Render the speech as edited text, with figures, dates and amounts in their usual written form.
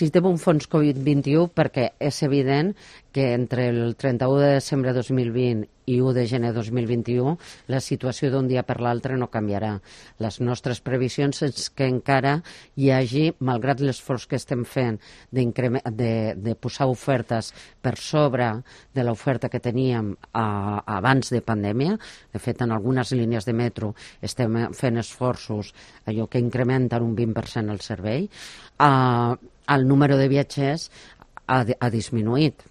Necessitem un fons Covid-21 perquè és evident que entre el 31 de desembre de 2020 i 1 de gener de 2021 la situació d'un dia per l'altre no canviarà. Les nostres previsions és que encara hi hagi, malgrat l'esforç que estem fent de posar ofertes per sobre de l'oferta que teníem abans de pandèmia, de fet en algunes línies de metro estem fent esforços allò que incrementen un 20% el servei, el número de viatgers ha disminuït.